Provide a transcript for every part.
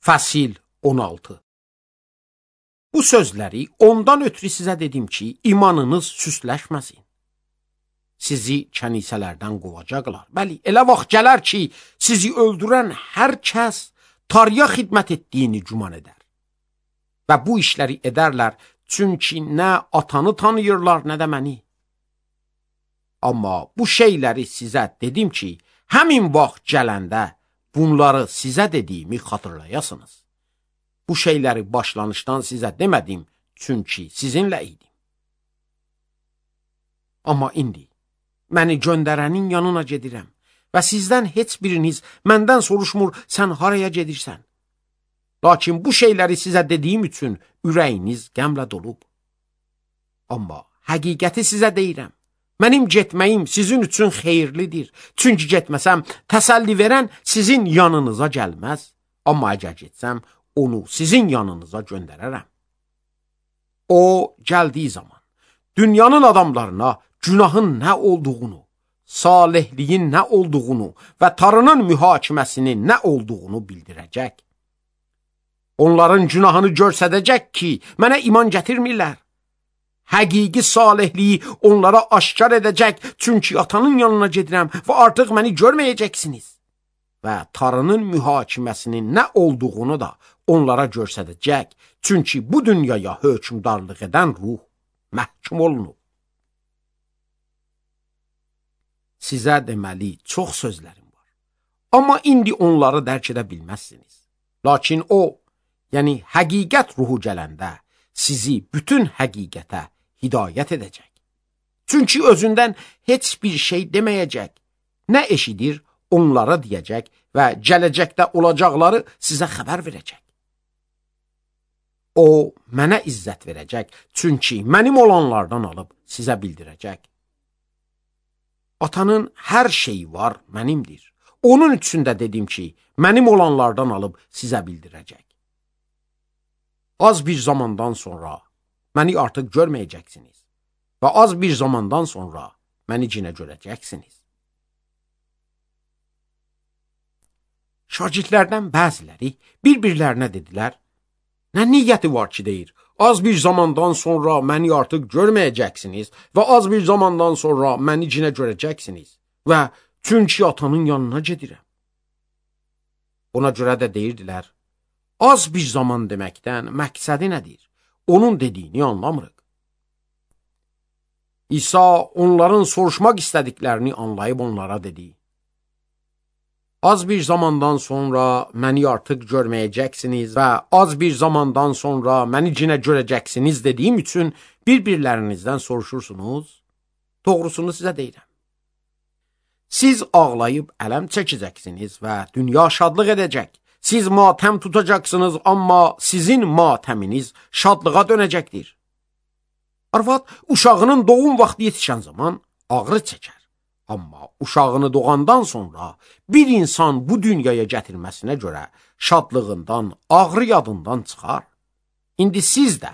Fəsil 16. Bu sözləri ondan ötürü sizə dedim ki, imanınız süsləşməsin. Sizi kənisələrdən qovacaqlar. Bəli, elə vaxt gələr ki, sizi öldürən hər kəs Tanrıya xidmət etdiyini güman edər. Və bu işləri edərlər, çünki nə atanı tanıyırlar, nə də məni. Amma bu şeyləri sizə dedim ki, həmin vaxt gələndə bunları sizə dediyimi xatırlayasınız. Bu şeyləri başlanışdan sizə demədim, çünki sizinlə idim. Amma indi məni göndərənin yanına gedirəm və sizdən heç biriniz məndən soruşmur, sən haraya gedirsən? Lakin bu şeyləri sizə dediyim üçün ürəyiniz qəmlə dolub. Amma həqiqəti sizə deyirəm. Mənim getməyim sizin üçün xeyirlidir. Çünki getməsəm, təsəlli verən sizin yanınıza gəlməz. Amma əgər getsəm, onu sizin yanınıza göndərərəm. O, gəldiyi zaman, dünyanın adamlarına günahın nə olduğunu, salihliyin nə olduğunu və Tanrının mühakiməsinin nə olduğunu bildirəcək. Onların günahını görsədəcək ki, mənə iman gətirmirlər. Həqiqi salihliyi onlara aşkar edəcək, çünki atanın yanına gedirəm və artıq məni görməyəcəksiniz. Və Tanrının mühakiməsinin nə olduğunu da onlara görsədəcək, çünki bu dünyaya hökmdarlıq edən ruh məhkum olunub. Sizə deməli çox sözlərim var, amma indi onları dərk edə bilməzsiniz. Lakin o, yəni həqiqət ruhu gələndə sizi bütün həqiqətə hidayət edəcək. Çünki özündən heç bir şey deməyəcək, nə eşidir onlara deyəcək və gələcəkdə olacaqları sizə xəbər verəcək. O, mənə izzət verəcək, çünki mənim olanlardan alıb sizə bildirəcək. Atanın hər şeyi var, mənimdir. Onun üçün də dedim ki, mənim olanlardan alıb sizə bildirəcək. Az bir zamandan sonra məni artıq görməyəcəksiniz və az bir zamandan sonra məni yenə görəcəksiniz. Şagirdlərdən bəziləri bir-birlərinə dedilər, nə niyyəti var ki deyir, az bir zamandan sonra məni artıq görməyəcəksiniz və az bir zamandan sonra məni yenə görəcəksiniz və çünki atanın yanına gedirəm. Buna görə də deyirdilər, az bir zaman deməkdən məqsədi nədir? Onun dediyini anlamırıq. İsa onların soruşmaq istədiklərini anlayıb onlara dedi. Az bir zamandan sonra məni artıq görməyəcəksiniz və az bir zamandan sonra məni yenə görəcəksiniz dediyim üçün bir-birlərinizdən soruşursunuz. Doğrusunu sizə deyirəm. Siz ağlayıb ələm çəkəcəksiniz və dünya şadlıq edəcək. Siz matəm tutacaqsınız, amma sizin matəminiz şadlığa dönəcəkdir. Arvad uşağının doğum vaxtı yetişən zaman ağrı çəkər. Amma uşağını doğandan sonra bir insan bu dünyaya gətirməsinə görə şadlığından, ağrı yadından çıxar. İndi siz də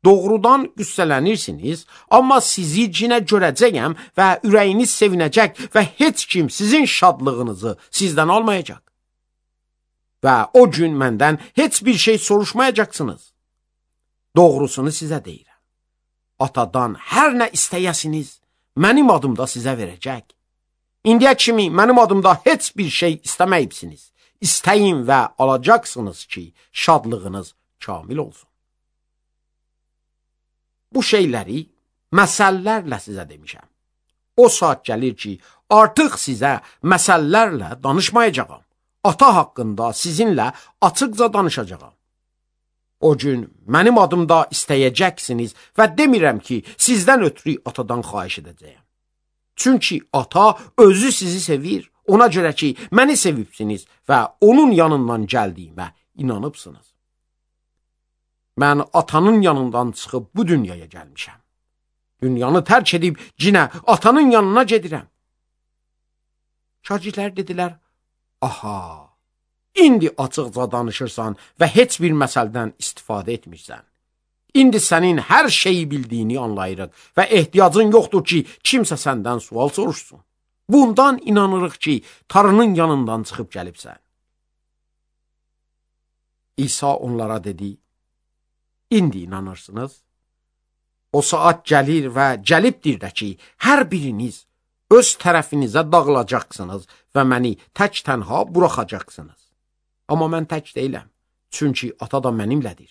doğrudan qüssələnirsiniz, amma sizi yenə görəcəyəm və ürəyiniz sevinəcək və heç kim sizin şadlığınızı sizdən almayacaq. Və o gün məndən heç bir şey soruşmayacaqsınız. Doğrusunu sizə deyirəm. Atadan hər nə istəyəsiniz, mənim adımda sizə verəcək. İndiyə kimi mənim adımda heç bir şey istəməyibsiniz. İstəyin və alacaqsınız ki, şadlığınız kamil olsun. Bu şeyləri məsəllərlə sizə demişəm. O saat gəlir ki, artıq sizə məsəllərlə danışmayacağam. Ata haqqında sizinlə açıqca danışacağam. O gün mənim adımda istəyəcəksiniz və demirəm ki, sizdən ötürü atadan xahiş edəcəyəm. Çünki ata özü sizi sevir, ona görə ki, məni sevibsiniz və onun yanından gəldiyimə inanıbsınız. Mən atanın yanından çıxıb bu dünyaya gəlmişəm. Dünyanı tərk edib yenə atanın yanına gedirəm. Şagirdlər dedilər, aha, indi açıqca danışırsan və heç bir məsəldən istifadə etmirsən. İndi sənin hər şeyi bildiyini anlayırıq və ehtiyacın yoxdur ki, kimsə səndən sual soruşsun. Bundan inanırıq ki, Tanrının yanından çıxıb gəlibsən. İsa onlara dedi, indi inanırsınız. O saat gəlir və gəlibdir də ki, hər biriniz öz tərəfinizə dağılacaqsınız və məni tək tənha buraxacaqsınız. Amma mən tək deyiləm, çünki ata da mənimlədir.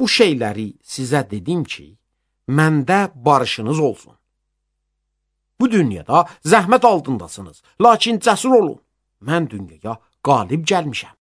Bu şeyləri sizə dedim ki, məndə barışınız olsun. Bu dünyada zəhmət altındasınız, lakin cəsur olun. Mən dünyaya qalib gəlmişəm.